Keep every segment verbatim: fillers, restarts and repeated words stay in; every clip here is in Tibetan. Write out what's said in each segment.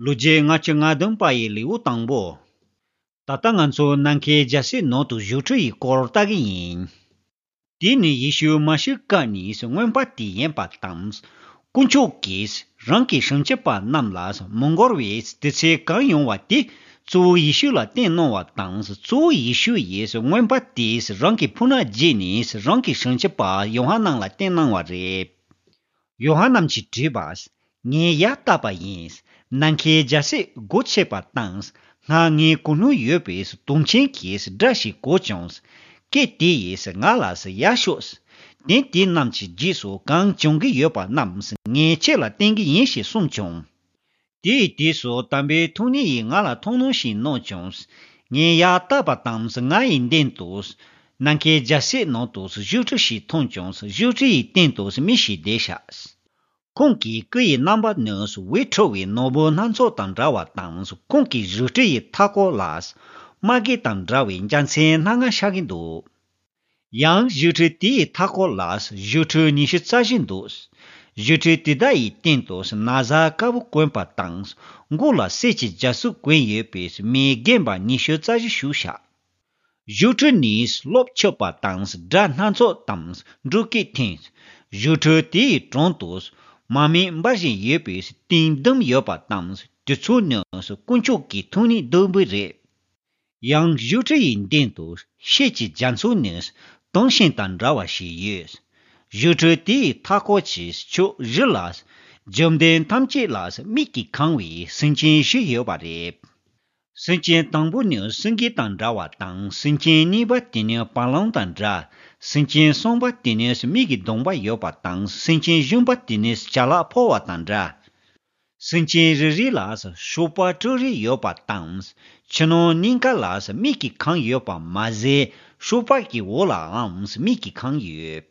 ལོ་རྒྱུས་ལྔ་བཅུ་ང་བདུན་པ་ཡི་ལེའུ་དང་པོ། ད་ལྟ་ང་ཚོ་ནམ་མཁའི་རྒྱལ་སྲིད་ནང་དུ་བཞུགས་ཁྲི་ཡི་སྐོར་ལྟ་གི་ཡིན། དེ་ནས་ཡེ་ཤུ་མ་ཤི་ཀ་ནས་མངོན་པ་དེ་ཡིན་པ་དང་། དཀོན་མཆོག་གིས་རང་གི་སྲུང་སྐྱོབ་པ་རྣམས་ལ་མི་འགོར་བའི་དུས་ཚོད་གང་ཡོང་བ་དེ་གཙོ་བོ་ཡེ་ཤུ་ལ་བསྟན་གནང་བ་དང་། གཙོ་བོ་ཡེ་ཤུ་ཡིས་མངོན་པ་དེས་རང་གི་ཕོ་ཉ་བརྗེས་ནས་རང་གི་སྲུང་སྐྱོབ་པ་ཡོ་ཧ་ནན་ལ་བསྟན་གནང་བ་རེད། ཡོ་ཧ་ནན་གྱིས་དྲིས་པ། ངས་ཡ་བཏབ་པ་ཡིན། ནམ་མཁའི་རྒྱལ་སྲིད་སྒོ་ཕྱེ་བ་དང་། སྔར་ངའི་གོ་ནོར་ཡོད་པའི་དུང་ཆེན་གྱི་སྒྲ་ཞིག་གོ་བྱུང་། སྐད་དེ་ཡིས་ང་ལ་ཡར་ཤོག་དེ་དེ་རྣམས་ཀྱི་རྗེས་སུ་གང་བྱུང་གི་ཡོད་པ་རྣམས་ངས་ཁྱེད་ལ་བསྟན་གྱི་ཡིན་ཞེས་གསུངས་བྱུང་། དེའི་དུས་སུ་དམ་པའི་ཐུགས་ཉིད་ཡིས་ང་ལ་ཐུགས་སྣང་ཞིག་གནང་བྱུང་། ངས་ཡར་བལྟས་པ་དང་ང་ཡི་མདུན་དུ། ནམ་མཁའི་རྒྱལ་སྲིད་ནང་དུ་བཞུགས་ཁྲི་ཞིག་མཐོང་བྱུང་། བཞུགས་ཁྲི་ཡི་སྟེང་དུ་མི་ཞིག་བསྡད་ཤག་ཁོང་གི་སྐུ་ཡི་རྣམ་པ་ནི་འོད་འཕྲོ་བའི་ནོར་བུ་སྣ་ཚོགས་དང་འདྲ་བ་དང་། ཁོང་གི་བཞུགས་ཁྲི་ཡི་མཐའ་སྐོར་ལ། དམག་སྒར་དང་འདྲ་བའི་རྒྱལ་མཚན་སྣ་ལྔ་ཤར་གྱི་འདུག་ཡང་བཞུགས་ཁྲི་དེའི་མཐའ་སྐོར་ལ་བཞུགས་ཁྲི་ཉི་ཤུ་རྩ་བཞི་འདུག་བཞུགས་ཁྲི་དེ་དག་ཡི་སྟེང་དུ་ན་བཟའ་དཀར་པོ་གོན་པ་དང་། མགོ་ལ་གསེར་གྱི་རྒྱ་སྲུབས་གོན་ཡོད་པའི་མི་རྒན་པ་ཉི་ཤུ་རྩ་བཞི་བཞུགས་ཤག་བཞུགས་ཁྲི་ནས་གློག་འཁྱུག་པ་དང་སྒྲ་སྣ་ཚོགས་དང་འབྲུག་སྐད་འཐེན། བཞུགས་ཁྲི་དེའི་དྲུང་དུ་མར་མེ་འབར་བཞིན་ཡོད་པའི་སྟེང་བསྡམས་ཡོད་པ་དང་། དེ་ཚོ་ནི་དཀོན་མཆོག་གི་ཐུགས་ཉིད་ལྡུམ་བུ་རེད། ཡང་བཞུགས་ཁྲི་ཡི་མདུན་དུ་ཤེལ་གྱི་རྒྱ་མཚོ་ནི་དུང་ཞེང་དང་འདྲ་བ་ཞིག་ཡོད། བཞུགས་ཁྲི་དེའི་མཐའ་སྐོར་གྱི་ཕྱོགས་བཞི་ལ། བཅོམ་ལྡན་ཐམས་ཅད་ལ་མིག་གིས་གང་བའི་སེམས་ཅན་བཞི་ཡོད་པ་རེད། སེམས་ཅན་དང་པོ་ནི་སེང་གེ་དང་འདྲ་བ་དང་། སེམས་ཅན་གཉིས་པ་དེ་ནི་བ་ལང་དང་འདྲ། སེམས་ཅན་གསུམ་པ་དེ་ནི་མིག་གི་གདོང་པ་ཡོད་པ་དང་། སེམས་ཅན་བཞི་པ་དེ་ནི་བྱ་ལ་ཕོ་བ་དང་འདྲ། སེམས་ཅན་རེ་རེ་ལ་གཤོག་པ་དྲུག་རེ་ཡོད་པ་དང་། ཕྱི་ནང་གཉིས་ཀ་ལ་མིག་གིས་གང་ཡོད་པ་མ་ཟད། གཤོག་པ་གི་འོག་ལའང་མིག་གིས་གང་ཡོད།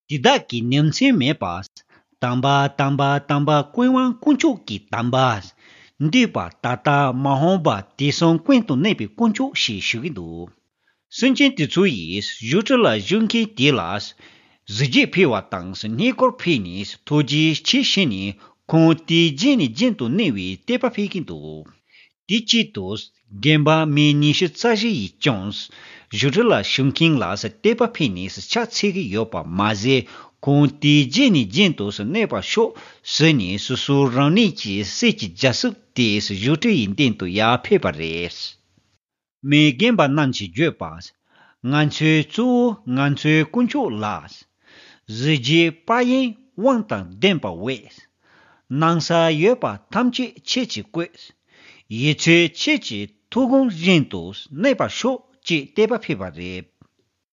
དེ་དག་གི་ཉིན་མཚན་མེད་པ། དམ་པ་དམ་པ་དམ་པ་ཀུན་དབང་དཀོན་མཆོག་གི་དམ་པ། འདས་པ་ད་ལྟ་མ་འོངས་པ་དུས་གསུམ་ཀུན་ཏུ་གནས་པའི་དཀོན་མཆོག་ཞེས་ཞུ་གི་འདུག་སེམས་ཅན་དེ་ཚོ་ཡིས་བཞུགས་ཁྲི་ལ་བཞུགས་མཁན་དེ་ལ་གཟི་བརྗིད་ཕུལ་བ་དང་། སྙིང་ཁོང་ཕུལ་ནས་ཐུགས་རྗེ་ཆེ་ཞུས་ནས་ཁོང་དེའི་རྗེས་ནས་རྒྱུན་དུ་གནས་པའི་དད་པ་ཕུལ་གྱི་འདུག་དེ་གཅིག་ཏུ་རྒན་པ་མི་ཉི་ཤུ་རྩ་བཞི་ཡིས་ཀྱང་བཞུགས་ཁྲི་ལ་བཞུགས་མཁན་ལ་དད་པ་ཕུལ་ནས་ཕྱག་འཚལ་གྱི་ཡོད་པ་མ་ཟད། ཁོང་དེའི་རྗེས་ནས་རྒྱུན་དུ་གནས་པར་ཤོག་ཟེར་ནས་སོ་སོའི་རང་ཉིད་ཀྱི་གསེར་གྱི་རྒྱ་སྲུབས་དེ་བཞུགས་ཁྲི་ཡི་མདུན་དུ་ཡར་ཕུལ་བ་རེད། མི་རྒན་པ་རྣམས་ཀྱིས་བརྗོད་པ། ང་ཚོའི་གཙོ་བོ་ང་ཚོའི་དཀོན་མཆོག་ལགས། གཟི་བརྗིད་དཔལ་ཡོན་དབང་དང་ལྡན་པ་འོད། སྣང་ས་ཡོད་པ་ཐམས་ཅད་ཁྱེད་ཀྱིས་བཀོད། ཡིད་ཚོད་ཁྱེད་ཀྱི་ཐུགས་དགོངས་བཞིན་དུ་གནས་པར་ཤོག་ཅེས་དད་པ་ཕུལ་བ་རེད།